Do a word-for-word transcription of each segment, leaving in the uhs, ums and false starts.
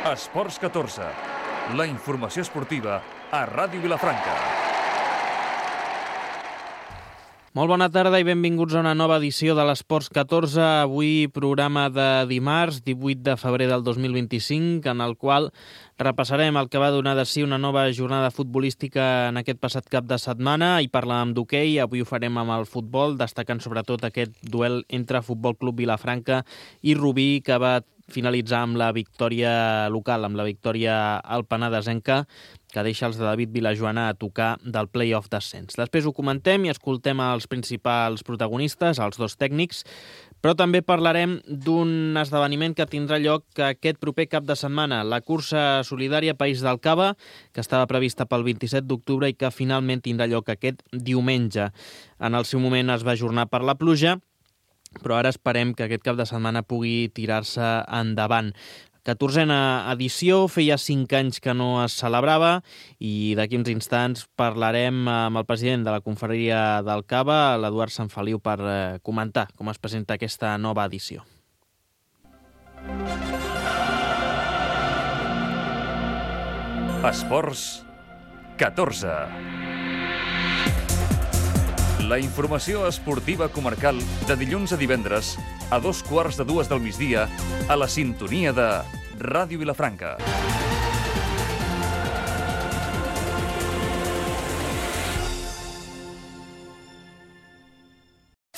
Esports catorze, la informació esportiva a Ràdio Vilafranca. Molt bona tarda i benvinguts a una nova edició de l'Esports catorze. Avui programa de dimarts, divuit de febrer del dos mil vint-i-cinc, en el qual repassarem el que va donar de si una nova jornada futbolística en aquest passat cap de setmana i parlàvem d'hoquei. Avui ho farem amb el futbol, destacant sobretot aquest duel entre Futbol Club Vilafranca i Rubí, que va finalitzar amb la victòria local, amb la victòria alpenadesenca, que deixa els de David Vilajoana a tocar del play-off d'ascens. Després ho comentem i escoltem els principals protagonistes, els dos tècnics, però també parlarem d'un esdeveniment que tindrà lloc aquest proper cap de setmana, la cursa solidària País del Cava, que estava prevista pel vint-i-set d'octubre i que finalment tindrà lloc aquest diumenge. En el seu moment es va ajornar per la pluja, però ara esperem que aquest cap de setmana pugui tirar-se endavant. catorzena edició, feia cinc anys que no es celebrava i d'aquí uns instants parlarem amb el president de la confraria del Cava, l'Eduard Sanfeliu, per eh, comentar com es presenta aquesta nova edició. Esports catorze. La informació esportiva comarcal de dilluns a divendres a dos quarts de dues del migdia a la sintonia de Ràdio Vilafranca.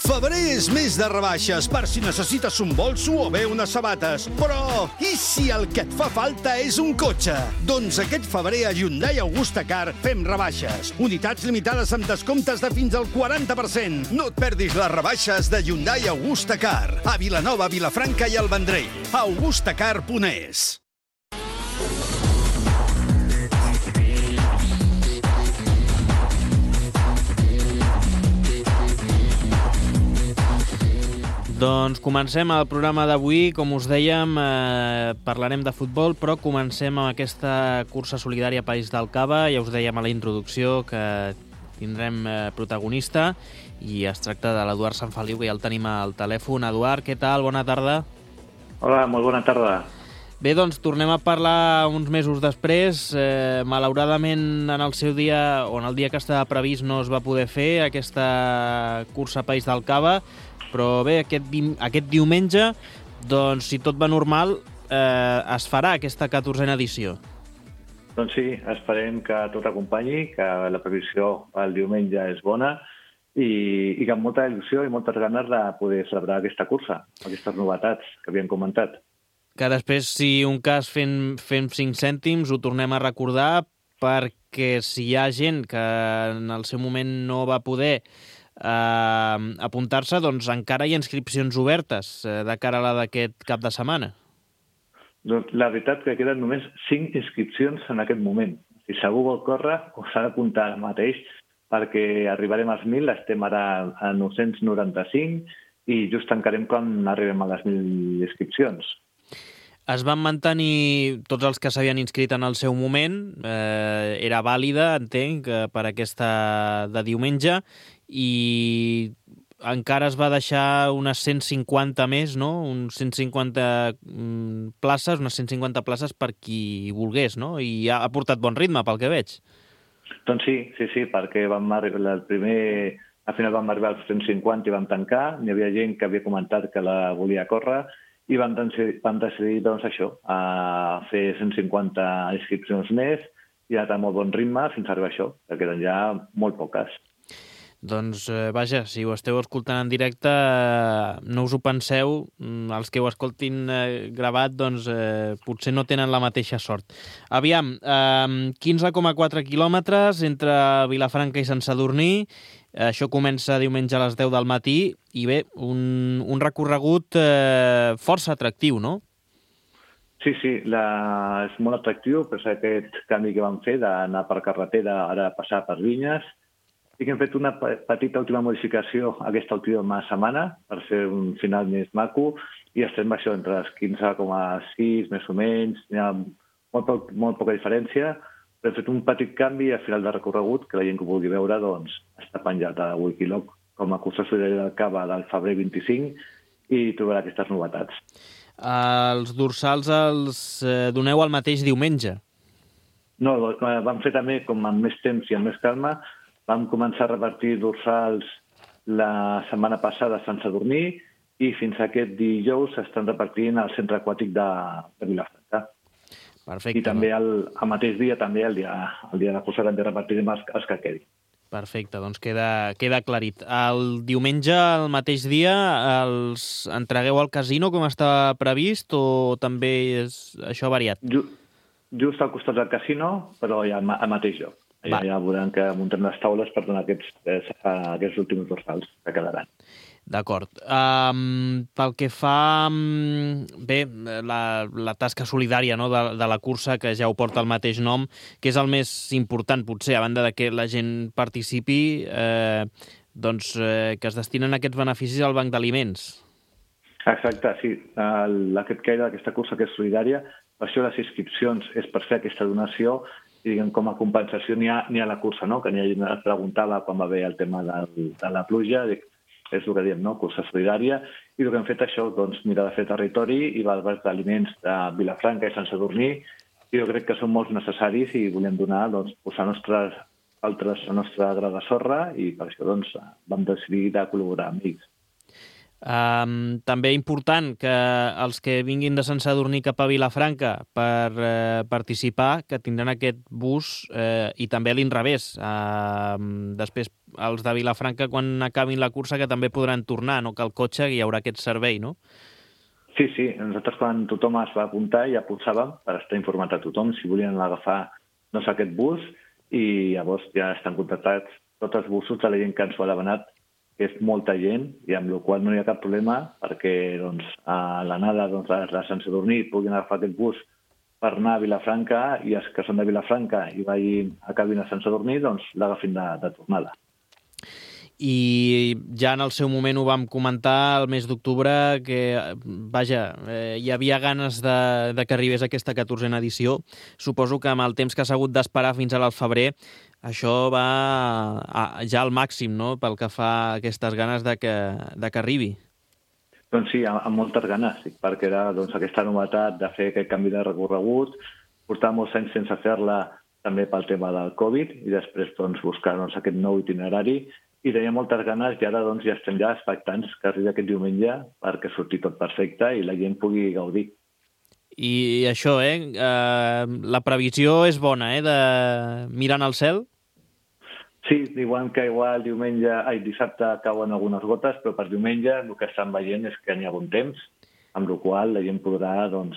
Febrer és mes de rebaixes per si necessites un bolso o bé unes sabates. Però i si el que et fa falta és un cotxe? Doncs aquest febrer a Hyundai Augusta Car fem rebaixes. Unitats limitades amb descomptes de fins al quaranta per cent. No et perdis les rebaixes de Hyundai Augusta Car a Vilanova, Vilafranca i el Vendrell. augustacar punt es. Doncs comencem el programa d'avui. Com us dèiem, eh, parlarem de futbol, però comencem amb aquesta cursa solidària País del Cava. Ja us dèiem a la introducció que tindrem eh, protagonista i es tracta de l'Eduard Sanfeliu, que ja el tenim al telèfon. Eduard, què tal? Bona tarda. Hola, molt bona tarda. Bé, doncs tornem a parlar uns mesos després. Eh, malauradament, en el seu dia, o en el dia que estava previst, no es va poder fer aquesta cursa País del Cava. Però bé, aquest, di aquest diumenge, doncs, si tot va normal, eh, es farà aquesta catorzena edició. Doncs sí, esperem que tot acompanyi, que la previsió el diumenge és bona i, i que amb molta il·lusió i moltes ganes de poder celebrar aquesta cursa, aquestes novetats que havíem comentat. Que després, si un cas fem, fem cinc cèntims, ho tornem a recordar, perquè si hi ha gent que en el seu moment no va poder Uh, apuntar-se, doncs encara hi ha inscripcions obertes uh, de cara a la d'aquest cap de setmana. Doncs la veritat que queden només cinc inscripcions en aquest moment. Si segur vol córrer, ho s'ha d'apuntar ara mateix, perquè arribarem als mil, estem ara a nou-cents noranta-cinc i just tancarem quan arribem a les mil inscripcions. Es van mantenir tots els que s'havien inscrit en el seu moment, eh, era vàlida, entenc, per aquesta de diumenge, i encara es va deixar unes cent cinquanta més, no? Uns cent cinquanta places, unes cent cinquanta places per qui volgués, no? I ha, ha portat bon ritme, pel que veig. Doncs sí, sí, sí, perquè vam arribar, el primer, al final vam arribar als cent cinquanta i vam tancar. Hi havia gent que havia comentat que la volia córrer i vam decidir, vam decidir doncs, això, a fer cent cinquanta inscripcions més i ha anat a molt bon ritme fins a arribar a això, que queden ja molt poques. Doncs, eh, vaja, si ho esteu escoltant en directe, eh, no us ho penseu, els que ho escoltin eh, gravat, doncs eh, potser no tenen la mateixa sort. Aviam, eh, quinze coma quatre quilòmetres entre Vilafranca i Sant Sadurní, això comença diumenge a les deu del matí, i bé, un, un recorregut eh, força atractiu, no? Sí, sí, la, és molt atractiu, però és aquest canvi que vam fer d'anar per carretera, ara passar per vinyes. Sí que hem fet una petita última modificació aquesta última setmana per fer un final més maco i estem això entre els quinze coma sis més o menys, hi ha molt, poc, molt poca diferència, però hem fet un petit canvi al final del recorregut que la gent que ho vulgui veure doncs, està penjat a Wikiloc com a cursa solidària del Cava del febrer vint-i-cinc i trobarà aquestes novetats. Els dorsals els eh, doneu el mateix diumenge? No, vam fer també, com amb més temps i amb més calma, vam començar a repartir dorsals la setmana passada a Sant Sadurní i fins a aquest dijous s'estan repartint al centre aquàtic de, de Vilafranca. Perfecte. I també el, el mateix dia, també el dia, el dia de la cursa, també repartirem els, els que quedin. Perfecte, doncs queda, queda aclarit. El diumenge, el mateix dia, els entregueu al casino com està previst o també és això variat? Just, just al costat del casino, però ja al, al mateix lloc. Ja, ja veurem que muntem les taules per donar aquests, aquests últims dorsals que quedaran. D'acord. Um, pel que fa, um, bé, la, la tasca solidària, no?, de, de la cursa, que ja ho porta el mateix nom, que és el més important, potser, a banda de que la gent participi, eh, doncs eh, que es destinen aquests beneficis al banc d'aliments. Exacte, sí. El, aquest que era d'aquesta cursa, que és solidària, per això les inscripcions és per fer aquesta donació i, diguem, com a compensació n'hi ha, n'hi ha la cursa, no?, que n'hi ha gent es preguntava quan va haver el tema de, de la pluja, dic, és el que diem, no?, cursa solidària, i el que hem fet això, doncs, mirar de fer territori i va al banc d'aliments de Vilafranca i Sant Sadurní, i jo crec que són molt necessaris i volem donar, doncs, posar nostres, altres, la nostra gra de sorra, i per això, doncs, vam decidir de col·laborar amb ells. Um, també important que els que vinguin de Sant Sadurní cap a Vilafranca per eh, participar, que tindran aquest bus eh, i també a l'inrevés. Uh, després els de Vilafranca, quan acabin la cursa, que també podran tornar, no? Que el cotxe hi haurà aquest servei, no? Sí, sí. Nosaltres quan tothom es va apuntar ja pulsàvem per estar informat a tothom si volien agafar, doncs, aquest bus, i llavors ja estan contactats tots els busos de la gent que ens ho ha demanat, que és molta gent, i amb la qual no hi ha cap problema perquè, doncs, a l'anada, doncs, a Sant Sadurní puguin agafar aquest bus per anar a Vilafranca, i els que són de Vilafranca i vagin, acabin a Sant Sadurní, doncs l'agafin de, de tornada. I ja en el seu moment ho vam comentar el mes d'octubre que, vaja, eh, hi havia ganes de, de que arribés aquesta catorzena edició. Suposo que amb el temps que s'ha hagut d'esperar fins al febrer, això va a, ja al màxim, no?, pel que fa a aquestes ganes de que, de que arribi. Doncs sí, amb, amb moltes ganes, perquè era, doncs, aquesta novetat de fer aquest canvi de recorregut, portar molts anys sense fer-la també pel tema del Covid, i després, doncs, buscar, doncs, aquest nou itinerari, i tenia moltes ganes, i ara, doncs, ja estem ja expectants que arribi aquest diumenge perquè surti tot perfecte i la gent pugui gaudir. I això, eh? eh la previsió és bona, eh?, de mirant al cel? Sí, diuen que igual diumenge, ai, dissabte cauen algunes gotes, però per diumenge el que estan veient és que n'hi ha bon temps, amb la qual la gent podrà, doncs,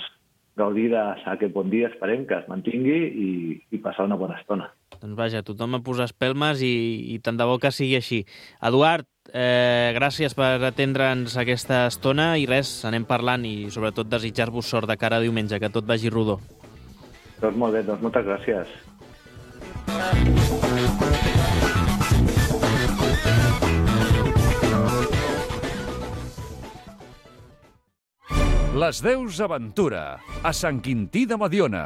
gaudir d'aquest bon dia, esperem que es mantingui, i, i passar una bona estona. Doncs vaja, tothom a posar espelmes i, i tant de bo que sigui així. Eduard, eh, gràcies per atendre'ns aquesta estona i res, anem parlant i sobretot desitjar-vos sort de cara a diumenge, que tot vagi rodó. Doncs molt bé, doncs moltes gràcies. Les Deus Aventura, a Sant Quintí de Mediona.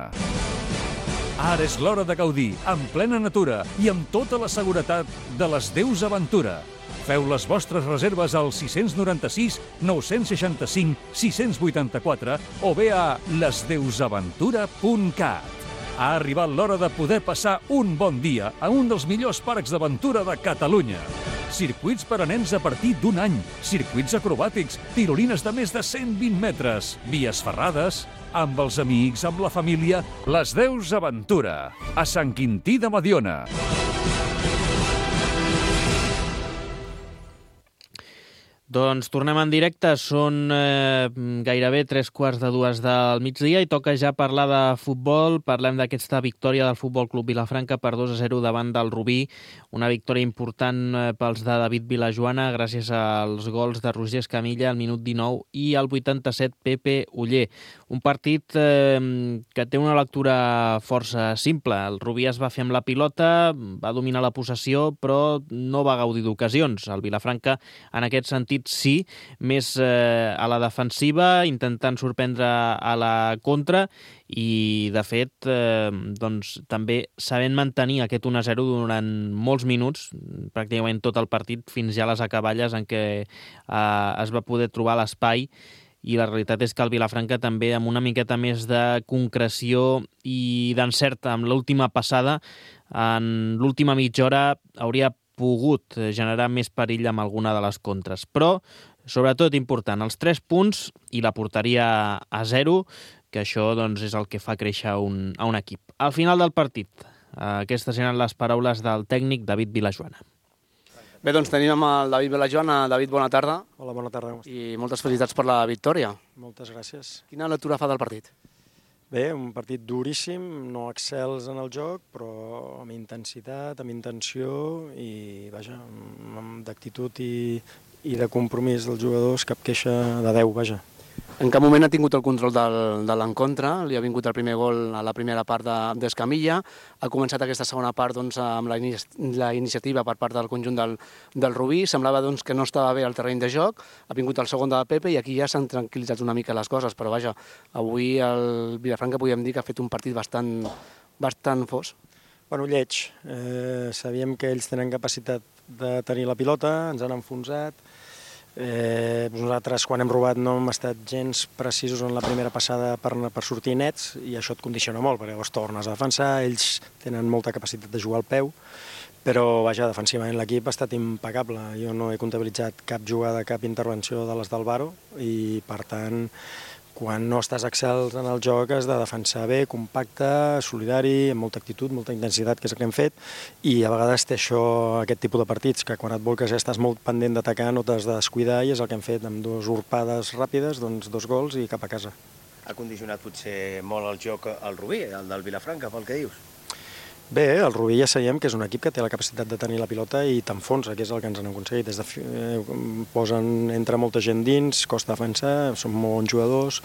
Ara és l'hora de gaudir, en plena natura i amb tota la seguretat de les Deus Aventura. Feu les vostres reserves al sis nou sis, nou seixanta cinc, sis vuitanta quatre o bé a les deus aventura punt cat. Ha arribat l'hora de poder passar un bon dia a un dels millors parcs d'aventura de Catalunya. Circuits per a nens a partir d'un any, circuits acrobàtics, tirolines de més de cent vint metres, vies ferrades, amb els amics, amb la família. Les Deus Aventura, a Sant Quintí de Mediona. Doncs tornem en directe, són eh, gairebé tres quarts de dues del migdia i toca ja parlar de futbol. Parlem d'aquesta victòria del Futbol Club Vilafranca per dos a zero davant del Rubí, una victòria important eh, pels de David Vilajoana gràcies als gols de Roger Escamilla al minut dinou i al vuitanta-set Pepe Oller. Un partit eh, que té una lectura força simple. El Rubí es va fer amb la pilota, va dominar la possessió, però no va gaudir d'ocasions. El Vilafranca, en aquest sentit, sí, més eh, a la defensiva, intentant sorprendre a la contra i, de fet, eh, doncs, també sabent mantenir aquest un a zero durant molts minuts, pràcticament tot el partit, fins ja a les acaballes en què eh, es va poder trobar l'espai i la realitat és que el Vilafranca també amb una miqueta més de concreció i d'encert amb l'última passada, en l'última mitja hora hauria pogut generar més perill amb alguna de les contres. Però, sobretot important, els tres punts i la porteria a zero, que això doncs, és el que fa créixer un, a un equip. Al final del partit, aquestes eren les paraules del tècnic David Vilajoana. Bé, doncs tenim amb el David Vilajoana. David, bona tarda. Hola, bona tarda. I moltes felicitats per la victòria. Moltes gràcies. Quina lectura fa del partit? Bé, un partit duríssim, no excels en el joc, però amb intensitat, amb intenció i, vaja, d'actitud i, i de compromís dels jugadors, cap queixa de deu, vaja. En cap moment ha tingut el control del, de l'encontre, li ha vingut el primer gol a la primera part d'Escamilla, ha començat aquesta segona part doncs, amb la, la iniciativa per part del conjunt del, del Rubí, semblava doncs, que no estava bé el terreny de joc, ha vingut el segon de Pepe i aquí ja s'han tranquil·litzat una mica les coses, però vaja, avui el Vilafranca podríem dir que ha fet un partit bastant, bastant fos. Bueno, lleig. Eh, sabíem que ells tenen capacitat de tenir la pilota, ens han enfonsat. Eh, nosaltres, quan hem robat, no hem estat gens precisos en la primera passada per, per sortir nets i això et condiciona molt, perquè llavors tornes a defensar, ells tenen molta capacitat de jugar al peu, però, vaja, defensivament l'equip ha estat impecable. Jo no he comptabilitzat cap jugada, cap intervenció de les d'Alvaro i, per tant, quan no estàs excels en el joc has de defensar bé, compacte, solidari, amb molta actitud, molta intensitat, que és el que hem fet, i a vegades té això, aquest tipus de partits, que quan et volques ja estàs molt pendent d'atacar, no t'has de descuidar, i és el que hem fet amb dues urpades ràpides, doncs dos gols i cap a casa. Ha condicionat potser molt el joc al Rubí, el del Vilafranca, pel que dius? Bé, el Rubí ja sabíem que és un equip que té la capacitat de tenir la pilota i t'enfonsa, que és el que ens han aconseguit. Des de, eh, posen, entra molta gent dins, costa defensar, són molt bons jugadors,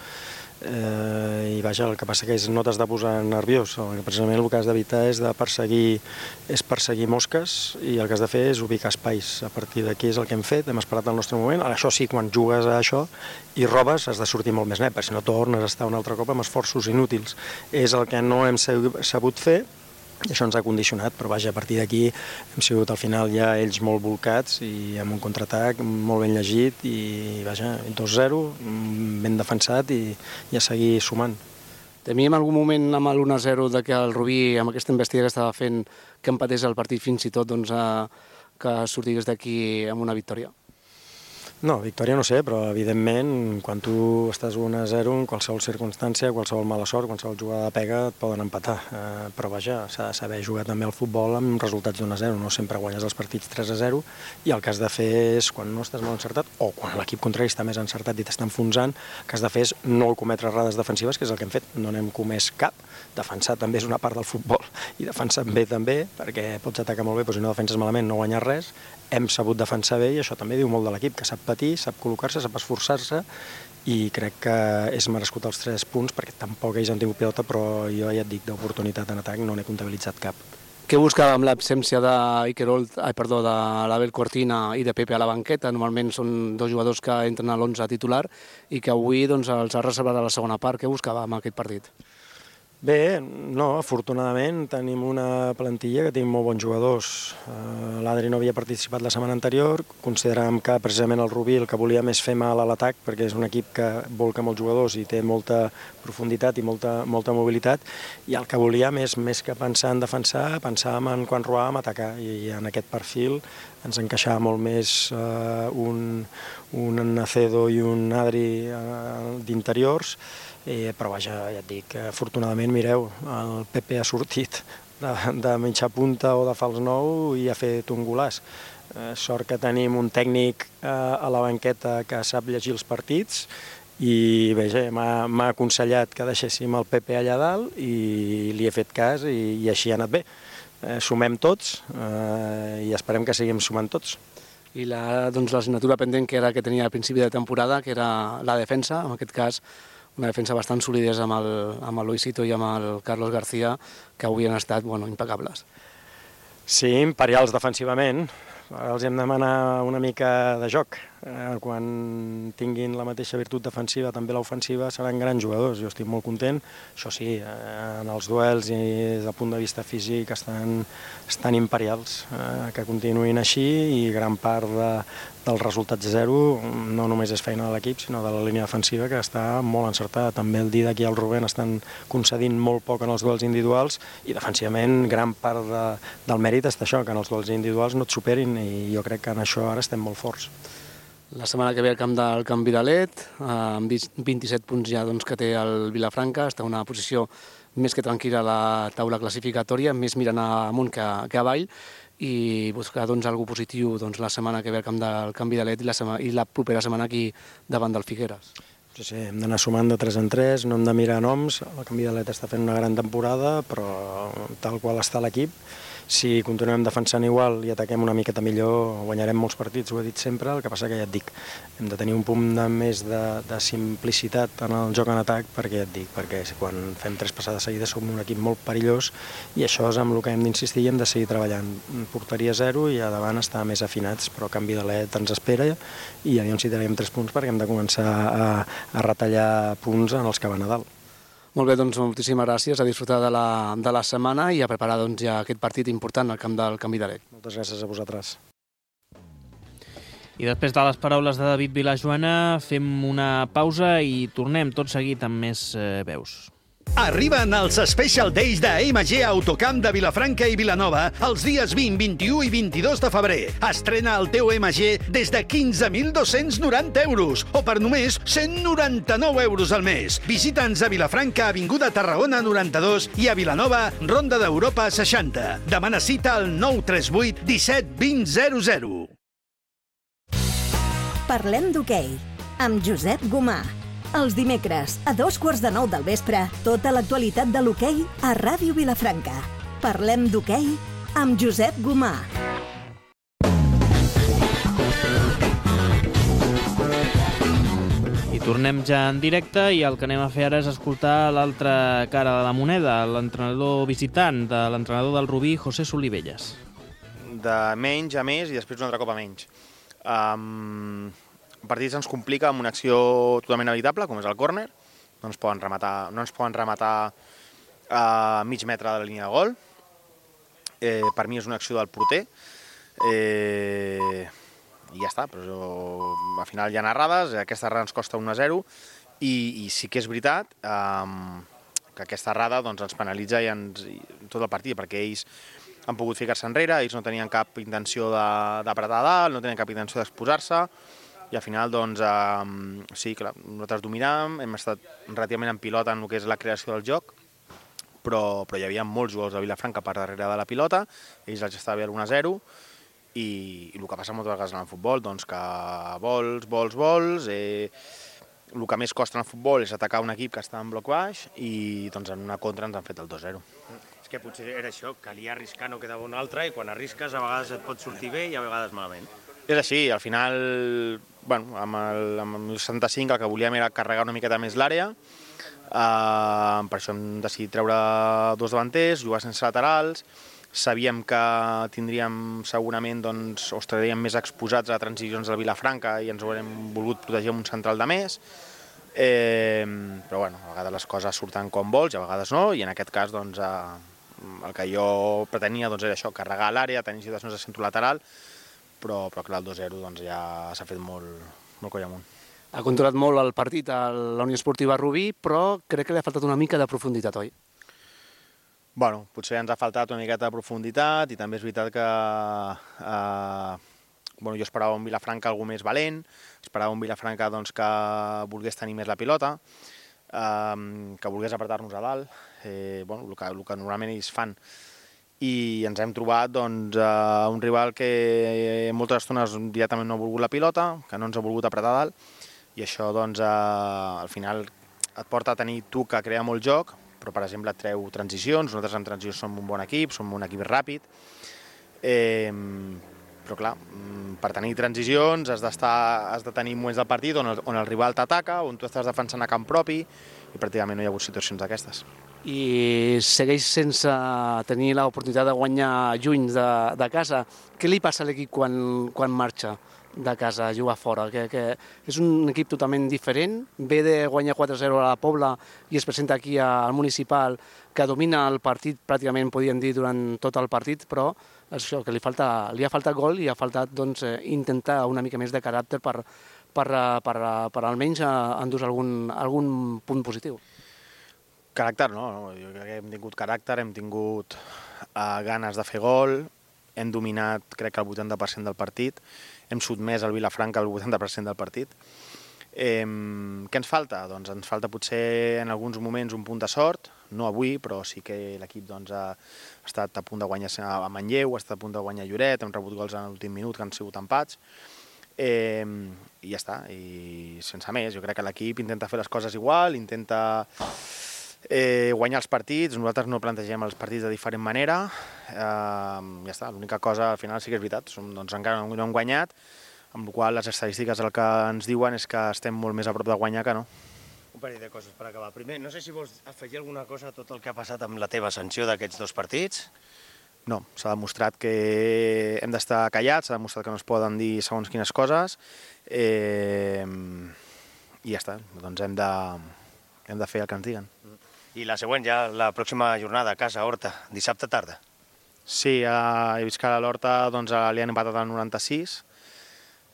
eh, i vaja, el que passa que és no t'has de posar nerviós. Precisament el que has d'evitar és de perseguir, és perseguir mosques i el que has de fer és ubicar espais. A partir d'aquí és el que hem fet, hem esperat el nostre moment. Ara, això sí, quan jugues a això i robes has de sortir molt més net, perquè si no tornes a estar un altre cop amb esforços inútils. És el que no hem sabut fer, i això ens ha condicionat, però vaja, a partir d'aquí hem sigut al final ja ells molt volcats i amb un contraatac molt ben llegit i vaja, dos zero, ben defensat i, i a seguir sumant. Temíem algun moment amb l'u a zero de que el Rubí, amb aquesta investida que estava fent, que empatés el partit fins i tot doncs, a, que sortís d'aquí amb una victòria? No, victòria no sé, però evidentment quan tu estàs u a zero en qualsevol circumstància, qualsevol mala sort, qualsevol jugada de pega et poden empatar, eh, però vaja, s'ha de saber jugar també al futbol amb resultats d'u a zero, no sempre guanyes els partits tres a zero i el que has de fer és, quan no estàs molt encertat o quan l'equip contrari està més encertat i t'està enfonsant, el que has de fer és no cometre errades defensives, que és el que hem fet, no n'hem comès cap. Defensar també és una part del futbol i defensar bé també, perquè pots atacar molt bé, però si no defenses malament no guanyes res. Hem sabut defensar bé i això també diu molt de l'equip, que sap patir, sap col·locar-se, sap esforçar-se i crec que és merescut els tres punts perquè tampoc ells han tingut pilota, però jo ja et dic, d'oportunitat en atac no n'he comptabilitzat cap. Què buscava amb l'absència d'Iker Holt, ai, perdó, de l'Abel Cortina i de Pepe a la banqueta? Normalment són dos jugadors que entren a l'onze titular i que avui doncs, els ha reservat a la segona part. Què buscava amb aquest partit? Bé, no, afortunadament tenim una plantilla que té molt bons jugadors. L'Adri no havia participat la setmana anterior, consideràvem que precisament el Rubí el que volíem és fer mal a l'atac perquè és un equip que volca molts jugadors i té molta profunditat i molta, molta mobilitat i el que volíem és, més que pensar en defensar, pensàvem en quan robàvem atacar i en aquest perfil ens encaixava molt més uh, un, un Nacedo i un Adri uh, d'interiors. Eh, però vaja, ja et dic, afortunadament, mireu, el Pepe ha sortit de, de mitja punta o de fals nou i ha fet un golaç. Eh, sort que tenim un tècnic eh, a la banqueta que sap llegir els partits i vaja, m'ha aconsellat que deixéssim el Pepe allà dalt i li he fet cas i, i així ha anat bé. Eh, sumem tots eh, i esperem que seguim sumant tots. I la, doncs, l'assignatura pendent que era que tenia al principi de temporada, que era la defensa, en aquest cas una defensa bastant solidesa amb el, amb el Luisito i amb el Carlos García, que avui han estat bueno, impecables. Sí, imperials defensivament, Ara els hem de demanar una mica de joc. Eh, quan tinguin la mateixa virtut defensiva, també l'ofensiva, seran grans jugadors. Jo estic molt content. Això sí, eh, en els duels i des del punt de vista físic estan, estan imperials. Eh, que continuïn així i gran part de, del resultat zero no només és feina de l'equip, sinó de la línia defensiva, que està molt encertada. També el Didac i el Rubén estan concedint molt poc en els duels individuals i defensivament gran part de, del mèrit està això, que en els duels individuals no et superin, i jo crec que en això ara estem molt forts. La setmana que ve al camp del Camp Vidalet, amb vint-i-set punts ja doncs, que té el Vilafranca, està en una posició més que tranquil·la a la taula classificatòria, més mirant amunt que, que avall, i buscar doncs, alguna positiu doncs, la setmana que ve al camp del Camp Vidalet i la, setmana, i la propera setmana aquí davant del Figueres. Sí, sí, hem d'anar sumant de tres en tres, no hem de mirar noms. El Camp Vidalet està fent una gran temporada, però tal qual està l'equip, si continuem defensant igual i ataquem una miqueta millor, guanyarem molts partits, ho he dit sempre. El que passa que ja et dic, hem de tenir un punt de més de, de simplicitat en el joc en atac, perquè ja et dic, perquè quan fem tres passades seguides som un equip molt perillós, i això és amb el que hem d'insistir i hem de seguir treballant. Porteria zero i a davant estar més afinats, però Camp Vidalet ens espera i aviam si tenim tres punts, perquè hem de començar a, a retallar punts en els que van a dalt. Molt bé, doncs moltíssimes gràcies, a disfrutar de la, de la setmana i a preparar doncs, ja aquest partit important al camp del Camp Vidalet. Moltes gràcies a vosaltres. I després de les paraules de David Vilajoana fem una pausa i tornem tot seguit amb més eh, veus. Arriben els Special Days de M G Autocamp de Vilafranca i Vilanova els dies vint, vint-i-u i vint-i-dos de febrer. Estrena el teu M G des de quinze mil dos-cents noranta euros o per només cent noranta-nou euros al mes. Visita'ns a Vilafranca, Avinguda Tarragona noranta-dos i a Vilanova, Ronda d'Europa seixanta. Demana cita al nou tres vuit disset vint zero zero. Parlem d'hoquei amb Josep Gomà. Els dimecres, a dos quarts de nou del vespre, tota l'actualitat de l'hoquei a Ràdio Vilafranca. Parlem d'hoquei amb Josep Gomà. I tornem ja en directe i el que anem a fer ara és escoltar l'altra cara de la moneda, l'entrenador visitant de l'entrenador del Rubí, José Solivelles. De menys a més i després un altre cop a menys. Um... El partit se'ns complica amb una acció totalment evitable, com és el córner. No ens poden rematar, no ens poden rematar a mig metre de la línia de gol. Eh, per mi és una acció del porter. Eh, I ja està, però al final hi ha errades, aquesta errada ens costa un a zero i, i sí que és veritat eh, que aquesta errada doncs, ens penalitza i ens, i tot el partit, perquè ells han pogut ficar-se enrere, ells no tenien cap intenció d'apretar dalt, no tenien cap intenció d'exposar-se, i al final, doncs, eh, sí, clar, nosaltres dominàvem, hem estat relativament en pilota en el que és la creació del joc, però, però hi havia molts jugadors de Vilafranca per darrere de la pilota, ells els estava bé a l'un a zero, i, i el que passa moltes vegades en el futbol, doncs que vols, vols, vols, eh, el que més costa en el futbol és atacar un equip que està en bloc baix, i doncs en una contra ens han fet el dos a zero. És que potser era això, calia arriscar, no quedava un altre, i quan arrisques a vegades et pot sortir bé i a vegades malament. És així, al final, bueno, amb el, amb el setanta-cinc el que volíem era carregar una miqueta més l'àrea, uh, per això hem decidit treure dos davanters, jugar sense laterals, sabíem que tindríem segurament, doncs, o estaríem més exposats a transicions del Vilafranca i ens ho haurem volgut protegir amb un central de més, eh, però bueno, a vegades les coses surten com vols i a vegades no, i en aquest cas doncs, uh, el que jo pretenia doncs, era això, carregar l'àrea, tenir situacions de centre lateral, però, però clar, el dos a zero doncs, ja s'ha fet molt, molt coll amunt. Ha controlat molt el partit a la Unió Esportiva Rubí, però crec que li ha faltat una mica de profunditat, oi? Bueno, potser ens ha faltat una miqueta de profunditat i també és veritat que eh, bueno, jo esperava un Vilafranca algú més valent, esperava un Vilafranca doncs, que volgués tenir més la pilota, eh, que volgués apretar-nos a dalt, eh, bueno, el, que, el que normalment ells fan. I ens hem trobat doncs, uh, un rival que moltes estones directament no ha volgut la pilota, que no ens ha volgut apretar dalt, i això doncs, uh, al final et porta a tenir tu que crea molt joc, però per exemple et treu transicions, nosaltres en transicions som un bon equip, som un equip ràpid, eh, però però clar, per tenir transicions has d'estar, has de tenir moments del partit on el, on el rival t'ataca, on tu estàs defensant a camp propi, i pràcticament no hi ha hagut situacions d'aquestes. I segueix sense tenir l'oportunitat de guanyar juny de, de casa. Què li passa a l'equip quan, quan marxa de casa a jugar fora? Que, que és un equip totalment diferent, ve de guanyar quatre a zero a la Pobla i es presenta aquí al Municipal, que domina el partit, pràcticament podríem dir, durant tot el partit, però això, que li, falta, li ha faltat gol i ha faltat doncs, intentar una mica més de caràcter per, per, per, per almenys endur algun, algun punt positiu. Caràcter, no, no, jo crec que hem tingut caràcter, hem tingut uh, ganes de fer gol, hem dominat crec que el vuitanta per cent del partit, hem sotmès el Vilafranca el vuitanta per cent del partit. Eh, què ens falta? Doncs ens falta potser en alguns moments un punt de sort, no avui, però sí que l'equip doncs, ha estat a punt de guanyar a Manlleu, ha estat a punt de guanyar a Lloret, hem rebut gols en l'últim minut que han sigut empats, eh, i ja està, i sense més. Jo crec que l'equip intenta fer les coses igual, intenta Eh, guanyar els partits, nosaltres no plantegem els partits de diferent manera, eh, ja està, l'única cosa al final sí que és veritat, som, doncs encara no hem guanyat, amb la qual les estadístiques el que ens diuen és que estem molt més a prop de guanyar que no. Un parell de coses per acabar. Primer, no sé si vols afegir alguna cosa a tot el que ha passat amb la teva sanció d'aquests dos partits? No, s'ha demostrat que hem d'estar callats, s'ha demostrat que no es poden dir segons quines coses, eh, i ja està, doncs hem de, hem de fer el que ens diguen. I la següent, ja la pròxima jornada a casa, Horta, dissabte tarda. Sí, a, he vist que a l'Horta doncs, li han empatat al noranta-sis.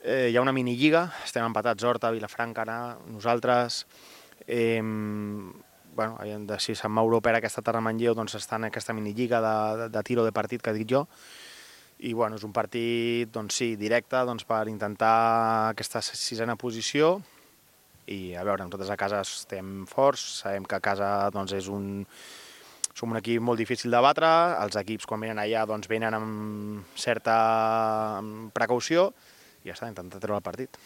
Eh, hi ha una minilliga, estem empatats Horta, Vilafranca, ara, nosaltres. Eh, bueno, si Sant Mauro opera aquesta tarda a Manlleu, doncs està en aquesta minilliga de, de, de tiro de partit que dic jo. I bueno, és un partit doncs, sí, directe doncs, per intentar aquesta sisena posició. I a veure, nosaltres a casa estem forts, sabem que a casa doncs, és un, som un equip molt difícil de batre, els equips quan venen allà doncs, venen amb certa precaució i ja està, intentar treure el partit.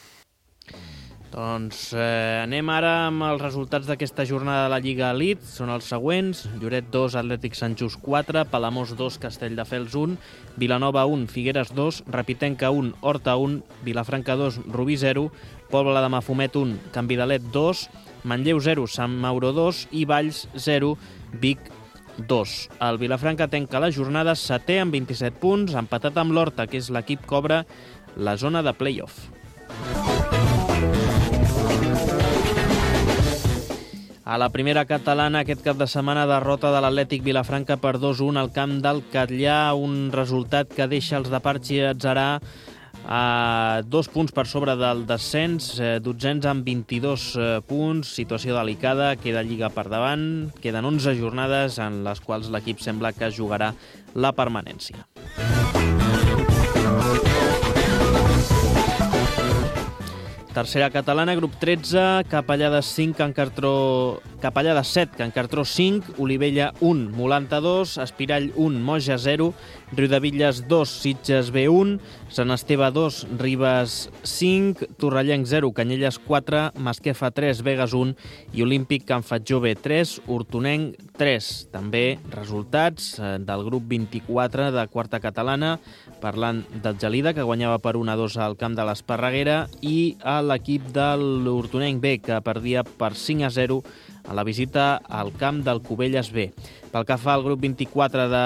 Doncs eh, anem ara amb els resultats d'aquesta jornada de la Lliga Elite. Són els següents: Lloret dos, Atlètic Sant Just quatre, Palamós dos, Castelldefels un, Vilanova un, Figueres dos, Repitenca un, Horta un, Vilafranca dos, Rubí zero, Pobla de Mafumet un, Canvidalet dos, Manlleu zero, Sant Mauro dos i Valls zero, Vic dos. El Vilafranca tanca la jornada setè amb vint-i-set punts, empatat amb l'Horta, que és l'equip que obre la zona de play-off. A la primera catalana, aquest cap de setmana, derrota de l'Atlètic Vilafranca per dos a un al camp del Catllà, un resultat que deixa els de Parchi Atzarà a dos punts per sobre del descens, eh, dotzens amb vint-i-dos eh, punts, situació delicada, queda Lliga per davant, queden onze jornades en les quals l'equip sembla que jugarà la permanència. Tercera catalana, grup tretze, Capellades cinc, Can Cartró... Capellades set, Can Cartró cinc, Olivella un, Molanta dos, Espirall un, Moja zero, Riudebitlles dos, Sitges B un, Sant Esteve dos, Ribes cinc, Torrellenc zero, Canyelles quatre, Masquefa tres, Begues un i Olímpic Can Fatjó B tres, Hortonenc tres. També resultats del grup vint-i-quatre de quarta catalana, parlant del Gelida, que guanyava per un a dos al camp de l'Esparreguera, i a l'equip de l'Hortonenc B, que perdia per cinc a zero a la visita al camp del Cubelles B. Pel que fa al grup vint-i-quatre de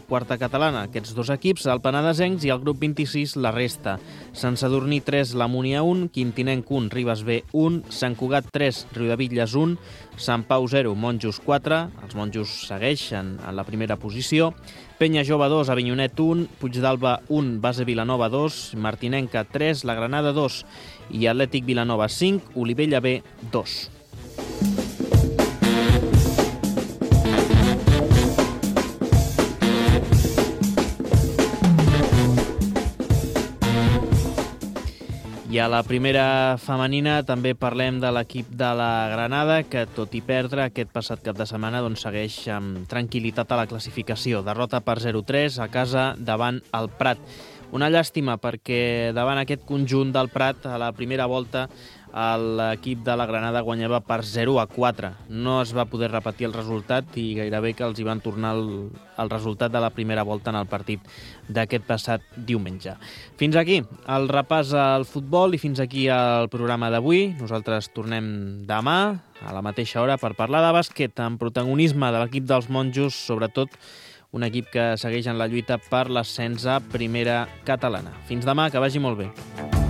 quarta catalana, aquests dos equips, el Penedesencs, i el grup vint-i-sis, la resta. Sant Sadurní tres, la Múnia un, Quintinenc un, Ribes B un, Sant Cugat tres, Riudebitlles un, Sant Pau zero, Monjos quatre, els monjos segueixen en la primera posició, Penya Jove dos, Avinyonet un, Puigdalba un, Base Vilanova dos, Martinenca tres, la Granada dos i Atlètic Vilanova cinc, Olivella B dos. I a la primera femenina també parlem de l'equip de la Granada, que tot i perdre aquest passat cap de setmana doncs segueix amb tranquil·litat a la classificació. Derrota per zero a tres a casa davant el Prat. Una llàstima perquè davant aquest conjunt del Prat a la primera volta l'equip de la Granada guanyava per zero a quatre. No es va poder repetir el resultat i gairebé que els hi van tornar el, el resultat de la primera volta en el partit d'aquest passat diumenge. Fins aquí el repàs al futbol i fins aquí el programa d'avui. Nosaltres tornem demà a la mateixa hora per parlar de bàsquet amb protagonisme de l'equip dels monjos, sobretot un equip que segueix en la lluita per l'ascens a primera catalana. Fins demà, que vagi molt bé.